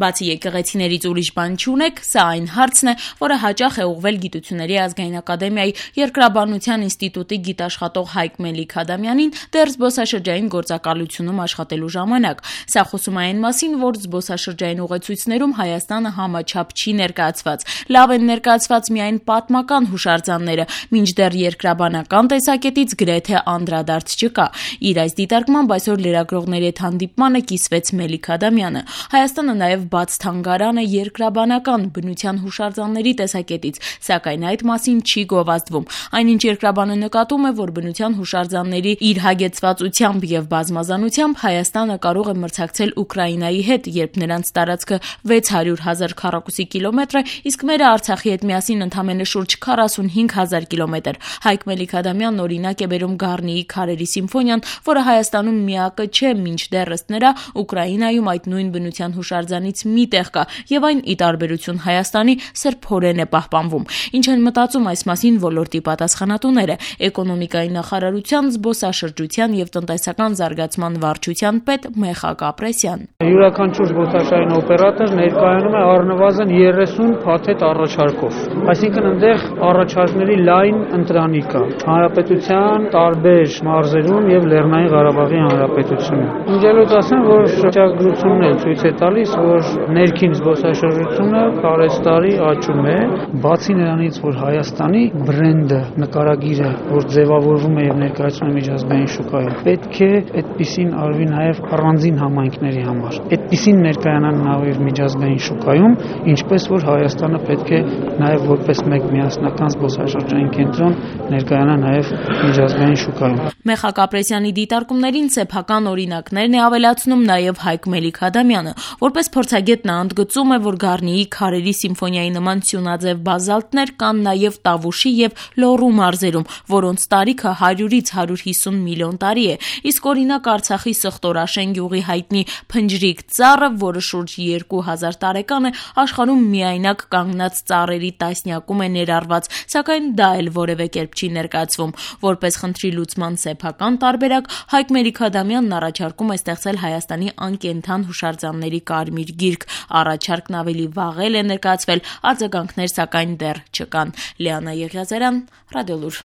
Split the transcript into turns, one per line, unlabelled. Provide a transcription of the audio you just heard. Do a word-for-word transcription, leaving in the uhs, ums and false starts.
Բացի եկեղեցիներից ուրիշ բան չունեք, սա այն հարցն է, որը հաճախ է ուղղվել Գիտությունների ազգային ակադեմիայի երկրաբանության ինստիտուտի գիտաշխատող Հայկ Մելիք-Ադամյանին դեռ զբոսաշրջային գործակալությունում աշխատելու ժամանակ։ Սա խոսում է այն մասին, որ զբոսաշրջային ուղեցույցներում Հայաստանը համաչափ չի ներկայացված։ Լավ են ներկայացված միայն պատմական հուշարձանները, մինչդեռ երկրաբանական տեսակետից գրեթե անդրադարձ չկա։ Իր այս դիտարկմամբ այսօր լրագրողների հետ հանդիպմանը կիսվեց Մելիք-Ադամյանը։ Հայաստանը նաև բաց թանգարան է երկրաբանական բնության հուշարձանների տեսակետից, սակայն այդ մասին չի գովազդվում։ Այնինչ երկրաբանը նկատում է, որ բնության հուշարձանների իր հագեցվածությամբ եւ բազմազանությամբ Հայաստանը կարող է մրցակցել Ուկրաինայի հետ, երբ նրանց տարածքը վեց հարյուր հազար քառակուսի կիլոմետր է, իսկ մերը Արցախի հետ միասին ընդամենը շուրջ քառասունհինգ հազար կիլոմետր։ Հայկ Մելիք-Ադամյանն օրինակ է բերում Գառնիի քարերի սիմֆոնիան, որը Հայաստանում միակը չէ, մինչդեռ ըստ նրա Ուկրաինայում այդ նույն բնության հուշարձանից մի տեղ կա, եւ այն ի տարբերություն Հայաստանի սրբորեն է պահպանվում։ Ինչ են մտածում այս մասին ոլորտի պատասխանատուները։ Էկոնոմիկայի նախարարության զբոսաշրջության եւ տնտեսական զարգացման վարչության պետ Մեխակ Ապրեսյան։
Յուրաքանչյուր զբոսաշրջային օպերատոր ներկայանում է առնվազն երեսուն փաթեթ առաջարկով։ Այսինքն այնտեղ առաջարկների լայն ընտրանիկ կա հանրապետության տարբեր մարզերում եւ Լեռնային Ղարաբաղի հանրապետությունում։ Ինձ ասեմ, որ շրջագրությունն էլ ցույց է տալիս, որ ներքին զբոսաշրջությունը տարեստարի աճում է, բացի նրանից, որ Հայաստանի բրենդը, նկարագիրը, որ ձևավորվում է եւ ներկայացվում է միջազգային շուկայում, պետք է այդպիսին արվի նաեւ առանձին համայնքների համար։ Այդպիսին ներկայանան նաեւ միջազգային շուկայում, ինչպես որ Հայաստանը պետք է նաեւ որպես մեկ միասնական զբոսաշրջային կենտրոն ներկայանա նաեւ միջազգային շուկայում։
Մեխակ Ապրեսյանի դիտարկումներին սեփական օրինակներն է ավելացնում նաեւ Հայկ Մելիք-Ադամյանը։ Որպես փորձագետ նա ընդգծում է, որ Գառնիի քարերի սիմֆոնիայի նման սյունաձև բազալտներ կան նաեւ Տավուշի եւ Լոռու մարզերում, որոնց տարիքը հարյուրից հարյուր հիսուն միլիոն տարի է։ Իսկ օրինակ Արցախի Սխտորաշեն գյուղի հայտնի Փնջրիկ ծառը, որը շուրջ երկու հազար տարեկան է, աշխարհում միայնակ կանգնած ծառերի տասնյակում է ներառված, սակայն դա էլ որևէ կերպ չի ներկայացվում։ Որպես խնդրի լուծման սեփական տարբերակ Հայկ Մելիք-Ադամյանն առաջարկում է ստեղծել Հայաստանի անկենդան հուշարձանների կարմիր գիրք։ Առաջարկն ավելի վաղ է ներկայացվել, արձագանքներ սակայն դեռ չկան։ Լիանա Եղիազարյան, Ռադիոլուր։